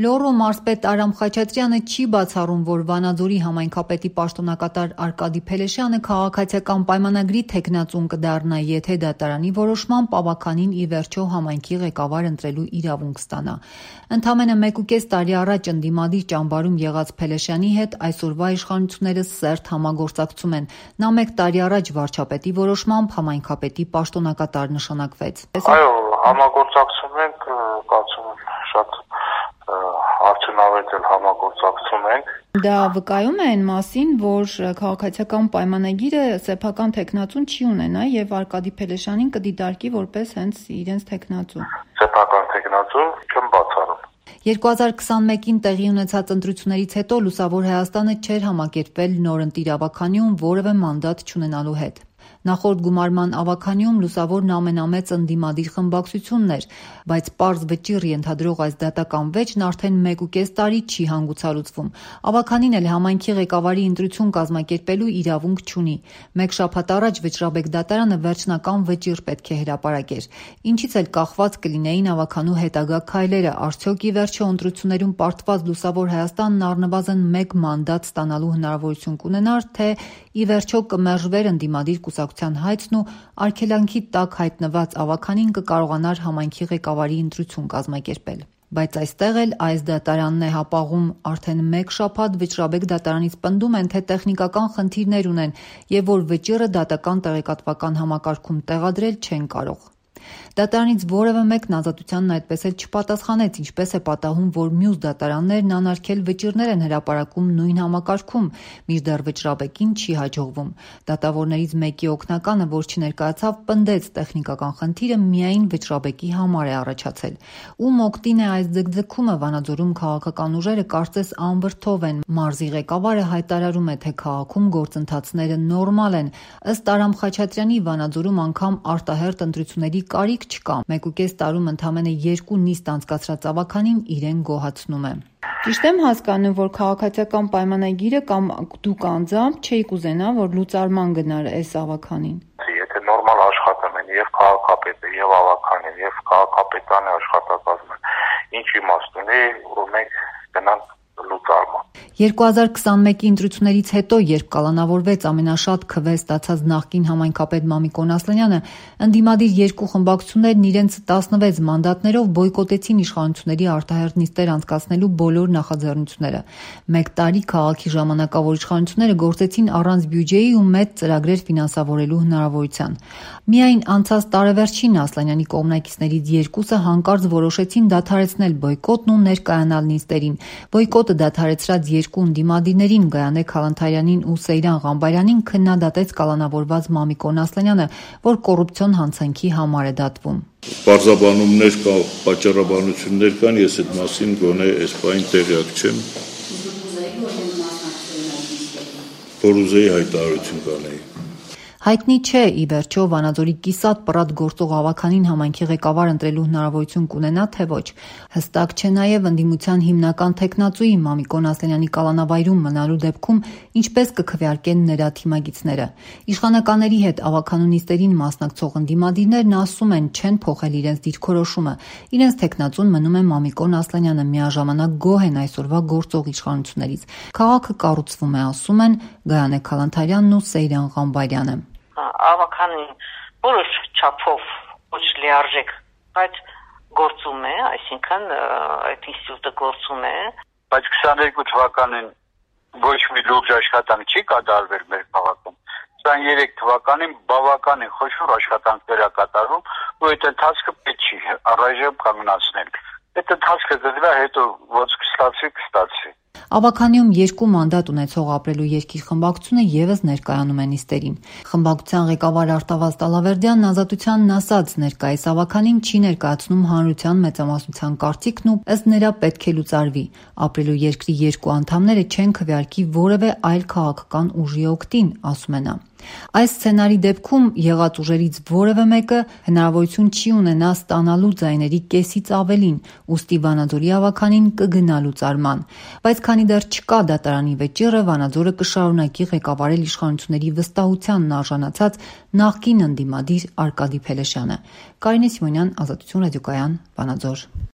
Լոռու մարզպետ Արամ Խաչատրյանը չի բացառում, որ Վանաձորի համայնքապետի պաշտոնակատար Արկադի Փելեշյանը քաղաքացիական պայմանագրի թեկնածուն կդառնա, եթե դատարանի որոշմամբ ավականին ի վերջո համայնքի ղեկավար ընտրելու իրավունք ստանա։ Ընդամենը 1.5 տարի առաջ ընդդիմադիր ճամբարում եղած Փելեշյանի հետ այսօրվա իշխանությունները սերտ համագործակցում են։ Նա 1 տարի առաջ վարչապետի որոշմամբ համայնքապետի պաշտոնակատար նշանակվեց։ Այո, համագործակցում ենք, կարծում եմ շատ արդյունավետ համագործակցում ենք։ Դա վկայում է այն մասին, որ քաղաքացիական պայմանագիրը սեփական թեկնածուն չի ունենա եւ Արկադի Փելեշյանին կդիտարկի որպես հենց իրենց թեկնածու։ Սեփական թեկնածու չեմ բացառում։ 2021-ին տեղի ունեցած ընտրություններից հետո Լուսավոր Հայաստանը չէր համակերպվել նորընտիր ավականիում որևէ մանդատ չունենալու հետ։ Նախորդ գումարման ավականիում Լուսավորն ամենամեծ ընդդիմադիր խմբակցությունն էր, բայց պարզ վճիռ ենթադրող այս դատական վեճն արդեն 1.5 տարի չի հանգուցալուծվում։ Ավականին էլ համայնքի ղեկավարի ընտրություն կազմակերպելու իրավունք չունի։ 1 շաբաթ առաջ Վճռաբեկ դատարանը վերջնական վճիռ պետք է հրապարակեր։ Ինչից էլ կախված կլինեին ավականու հետագա քայլերը, արդյոք ի վերջո ընտրություններում պարտված Լուսավոր Հայաստանն առնվազն 1 մանդատ ստանալու հնարավորություն կունենար, թե ի վերջո կմերժվեր ընդդիմադիր կուսակցության հայցն ու արգելանքի տակ հայտնված ավականին կկարողանար համայնքի ղեկավարի ընտրություն կազմակերպել։ Բայց այստեղ էլ այս դատարանն է հապաղում։ Արդեն 1 շաբաթ Վճռաբեկ դատարանից պնդում են, թե տեխնիկական խնդիրներ ունեն եւ որ վճիռը դատական տեղեկատվական համակարգում տեղադրել չեն կարող։ Դատարանից որևէ մեկն ազատությանն այդպես էլ չպատասխանեց, ինչպես է պատահում, որ մյուս դատարաններն անարգել վճիռներ են հրապարակում նույն համակարգում, մինչդեռ Վճռաբեկին չի հաջողվում։ Դատավորներից մեկի օգնականը, որ չներկայացավ, պնդեց տեխնիկական խնդիրը միայն Վճռաբեկի համար է առաջացել։ Ում օգտին է այս ձգձգումը Վանաձորում քաղաքական ուժերը կարծես անվրդով են։ Մարզի ղեկավարը հայտարարում է, թե քաղաքում գործընթացները նորմալ են։ Ըստ Արամ Խաչատրյանի Վանաձորում անգամ արտահերթ ընտրությունների կարիք չկա։ 1.5 տարում ընդամենը 2 նիստ անցկացրած ավականին իրեն գոհացնում է։ Ճիշտ եմ հասկանում, որ քաղաքացիական պայմանագիրը կամ դուք անձամբ չէիք ուզենա, որ լուծարման գնար այս ավականին։ Եթե նորմալ աշխատում են եւ քաղաքապետը, եւ ավականին, եւ քաղաքապետանի աշխատակազմը, ինչ իմաստ ունի, որ մենք գնանք լուծարման։ 2021-ի ընտրություններից հետո, երբ կալանավորվեց ամենաշատ քվե ստացած նախկին համայնքապետ Մամիկոն Ասլանյանը, ընդդիմադիր 2 խմբակցություններն իրենց 16 մանդատներով բոյկոտեցին իշխանությունների արտահերթ նիստեր անցկացնելու բոլոր նախաձեռնությունները։ 1 տարի քաղաքի ժամանակավոր իշխանությունները գործեցին առանց բյուջեի ու մեծ ծրագրեր ֆինանսավորելու հնարավորության։ Միայն անցած տարեվերջին Ասլանյանի կողմնակիցներից 2-ը հանկարծ որոշեցին դադարեցնել բոյկոտն ու ներկայանալ նիստերին։ Բոյկոտը դադարեցրած 2 ընդդիմադիրներին Գայանե Քալանթարյանին ու Սեյրան Ղամբարյանին քննադատեց կալանավորված Մամիկոն Ասլանյանը, որ կոռուպցիոն հանցանքի համար է դատվում։ Պարզաբանումներ կա, պատճառաբանություններ կան, ես այդ մասին գոնե այս բանին տեղյակ չեմ։ Որ ուզեի հայտարարություն կանեի։ Հայտնի չէ, ի վերջո Վանաձորի կիսատ պռատ գործող ավականին համայնքի ղեկավար ընտրելու հնարավորություն կունենա, թե ոչ։ Հստակ չէ նաև ընդդիմության հիմնական թեկնածուի Մամիկոն Ասլանյանի կալանավայրում մնալու դեպքում ինչպես կքվեարկեն նրա թիմագիծները։ Իշխանականների հետ ավականու նիստերին մասնակցող ընդդիմադիրներն ասում են, չեն փոխել իրենց դիրքորոշումը։ Իրենց թեկնածուն մնում է Մամիկոն Ասլանյանը, միաժամանակ գոհ են այսօրվա գործող իշխանություններից։ Քաղաքը կառուցվում է, ասում են Գայանե Քալանթարյանն ու Սեյրան Ղամբարյանը։ Ավականին որոշ չափով ոչ լիարժեք, բայց գործում է, այսինքն այդ ինստիտուտը գործում է, բայց 22 թվականին ոչ մի լուրջ աշխատանք չի կատարվել մեր քաղաքում։ 23 թվականին բավականին խոշոր աշխատանքներ է կատարվում, ու այդ ընթացքը պետք չի առայժմ կանգնացնել։ Այդ ընթացքը դրա հետո ոչ կստացվի։ Ավականիում 2 մանդատ ունեցող Ապրելու երկիր խմբակցությունը եւս ներկայանում է նիստերին։ Խմբակցության ղեկավար Արտավազդ Ալավերդյանն ազատությանն ասաց, ներկայիս ավականին չի ներկայացնում հանրության մեծամասնության կարծիքն ու ըստ նրա պետք է լուծարվի։ Ապրելու երկրի 2 անդամները չեն քվեարկի որևէ այլ քաղաքական ուժի օգտին, ասում է նա։ Այս սցենարի դեպքում եղած ուժերից որևէ մեկը հնարավորություն չի ունենա ստանալու ձայների կեսից ավելին, ուստի Վանաձորի ավականին կգնա լուծարման։ Բայց քանի դեռ չկա դատարանի վճիռը, Վանաձորը կշարունակի ղեկավարել իշխանությունների վստահությանն արժանացած նախկին ընդդիմադիր Արկադի Փելեշյանը։ Կարինե Սիմոնյան, Ազատություն ռադիոկայան, Վանաձոր։